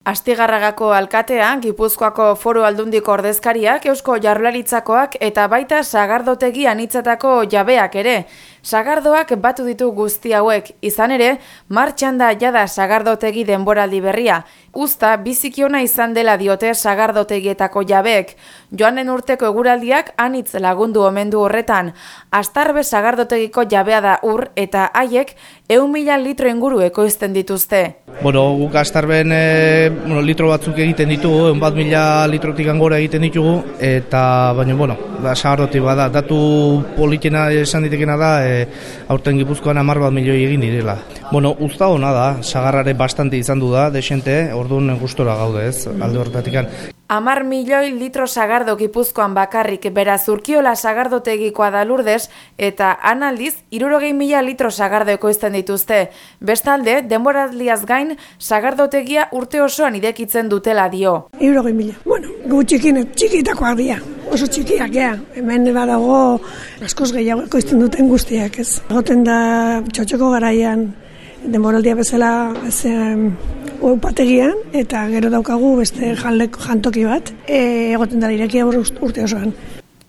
Astigarragako alkatea, Gipuzkoako Foru Aldundiko ordezkariak, Eusko Jaurlaritzakoak eta baita sagardotegi anitzetako jabeak ere. Sagardoak batu ditu guzti hauek, izan ere, martxan da jada sagardotegi denboraldi berria. Uzta, biziki ona izan dela diote sagardotegietako jabeek. Joanen urteko eguraldiak anitz lagundu omen du horretan. Astarbe sagardotegiko jabea da ur eta haiek 100.000 litro inguru ekoizten dituzte. Guk Astarben litro batzuk egiten ditugu, 100.000 litrotik gora egiten ditugu, eta baina, sagardoti bada, datu politena esan ditekena da, aurten Gipuzkoan 10 milioi egin direla. Uzta hona da, sagarrare bastante izan du da, desente, orduan gustora gaude ez, alde horretatik. 10 milioi litro sagardo Gipuzkoan bakarrik, beraz Urkiola sagardotegikoa da Lurdes, eta analdiz 60.000 litro sagardo ekoizten dituzte. Bestalde, denboraldiaz gain, sagardotegia urte osoan idekitzen dutela dio. 60.000. Gu txikitakoak dira, oso txikiak, hemen badago askoz gehiago ekoizten duten guztiak, ez. Egoten da txotxoko garaian, denboraldia bezala upategian, eta gero daukagu beste jantoki bat, egoten da irekia urte osoan.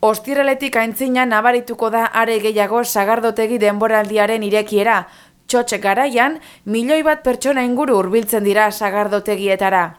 Ostiraletik aintzina nabarituko da are gehiago sagardotegi denboraldiaren irekiera. Txotxe garaian, 1 milioi pertsona inguru hurbiltzen dira sagardotegietara.